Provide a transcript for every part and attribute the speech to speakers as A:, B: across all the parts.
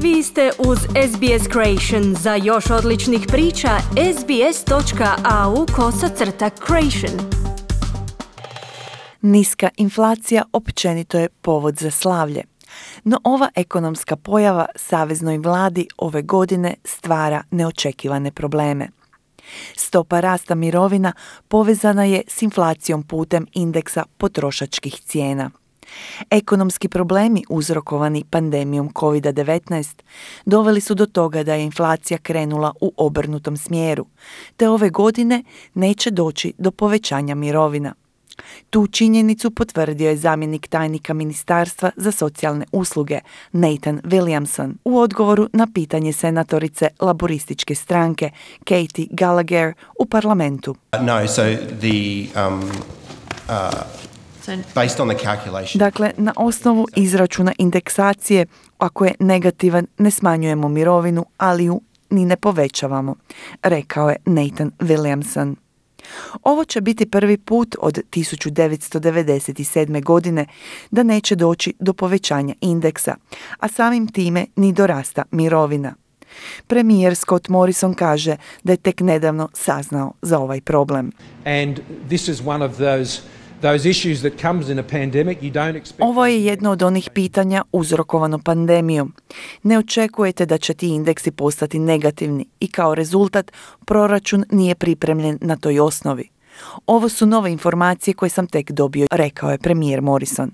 A: Vi ste uz SBS Creation. Za još odličnih priča, sbs.au/creation.
B: Niska inflacija općenito je povod za slavlje. No ova ekonomska pojava saveznoj vladi ove godine stvara neočekivane probleme. Stopa rasta mirovina povezana je s inflacijom putem indeksa potrošačkih cijena. Ekonomski problemi uzrokovani pandemijom COVID-19 doveli su do toga da je inflacija krenula u obrnutom smjeru, te ove godine neće doći do povećanja mirovina. Tu činjenicu potvrdio je zamjenik tajnika Ministarstva za socijalne usluge Nathan Williamson u odgovoru na pitanje senatorice laborističke stranke Katie Gallagher u parlamentu. Dakle, na osnovu izračuna indeksacije, ako je negativan, ne smanjujemo mirovinu, ali ju ni ne povećavamo, rekao je Nathan Williamson. Ovo će biti prvi put od 1997. godine da neće doći do povećanja indeksa, a samim time ni do rasta mirovina. Premijer Scott Morrison kaže da je tek nedavno saznao za ovaj problem. Ovo je jedno od onih pitanja uzrokovano pandemijom. Ne očekujete da će ti indeksi postati negativni i kao rezultat proračun nije pripremljen na toj osnovi. Ovo su nove informacije koje sam tek dobio, rekao je premijer Morrison.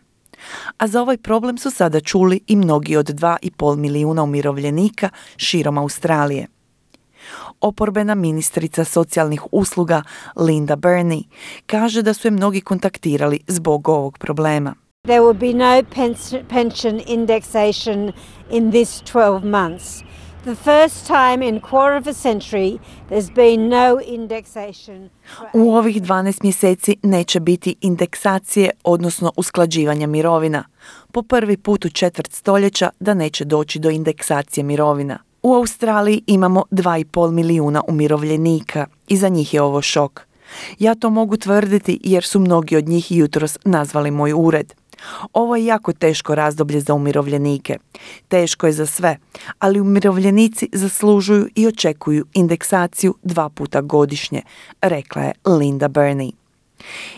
B: A za ovaj problem su sada čuli i mnogi od 2,5 milijuna umirovljenika širom Australije. Oporbena ministrica socijalnih usluga Linda Burney kaže da su je mnogi kontaktirali zbog ovog problema.
C: There will be no pension indexation in this 12 months. The first time in quarter of a century there's been no indexation.
B: U ovih 12 mjeseci neće biti indeksacije, odnosno usklađivanja mirovina. Po prvi put u četvrt stoljeća da neće doći do indeksacije mirovina. U Australiji imamo 2,5 milijuna umirovljenika i za njih je ovo šok. Ja to mogu tvrditi jer su mnogi od njih jutros nazvali moj ured. Ovo je jako teško razdoblje za umirovljenike. Teško je za sve, ali umirovljenici zaslužuju i očekuju indeksaciju 2 puta godišnje, rekla je Linda Burney.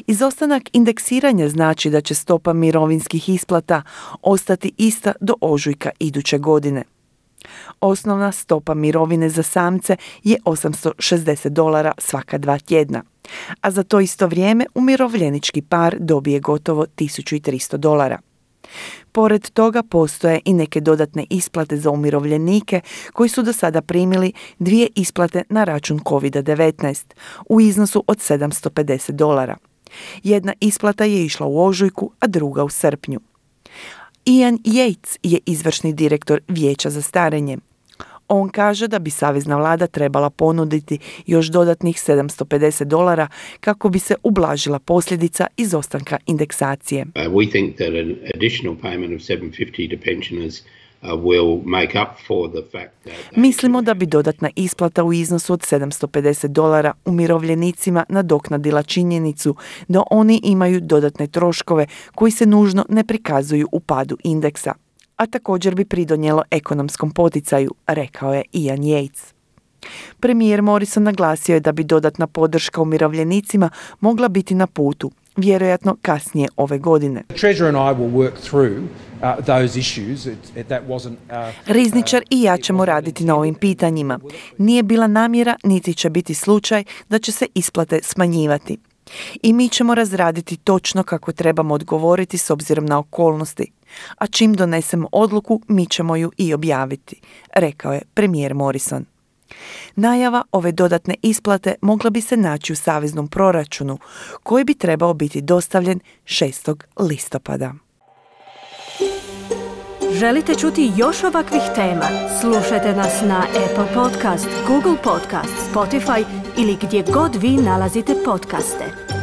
B: Izostanak indeksiranja znači da će stopa mirovinskih isplata ostati ista do ožujka iduće godine. Osnovna stopa mirovine za samce je $860 svaka 2 tjedna, a za to isto vrijeme umirovljenički par dobije gotovo $1.300. Pored toga postoje i neke dodatne isplate za umirovljenike koji su do sada primili 2 isplate na račun COVID-19 u iznosu od $750. Jedna isplata je išla u ožujku, a druga u srpnju. Ian Yates je izvršni direktor Vijeća za starenje. On kaže da bi savezna vlada trebala ponuditi još dodatnih $750 kako bi se ublažila posljedica izostanka indeksacije.
D: We think that an additional payment of $750 to pensioners will make up for the fact that
B: Mislimo da bi dodatna isplata u iznosu od $750 umirovljenicima nadoknadila činjenicu da oni imaju dodatne troškove koji se nužno ne prikazuju u padu indeksa, a također bi pridonijelo ekonomskom poticaju, rekao je Ian Yates. Premijer Morrison naglasio je da bi dodatna podrška umirovljenicima mogla biti na putu, vjerojatno kasnije ove godine. Rizničar i ja ćemo raditi na ovim pitanjima. Nije bila namjera, niti će biti slučaj da će se isplate smanjivati. I mi ćemo razraditi točno kako trebamo odgovoriti s obzirom na okolnosti. A čim donesemo odluku, mi ćemo ju i objaviti, rekao je premijer Morrison. Najava ove dodatne isplate mogla bi se naći u saveznom proračunu, koji bi trebao biti dostavljen 6. listopada.
A: Želite čuti još ovakvih tema? Slušajte nas na Apple Podcast, Google Podcast, Spotify ili gdje god vi nalazite podcaste.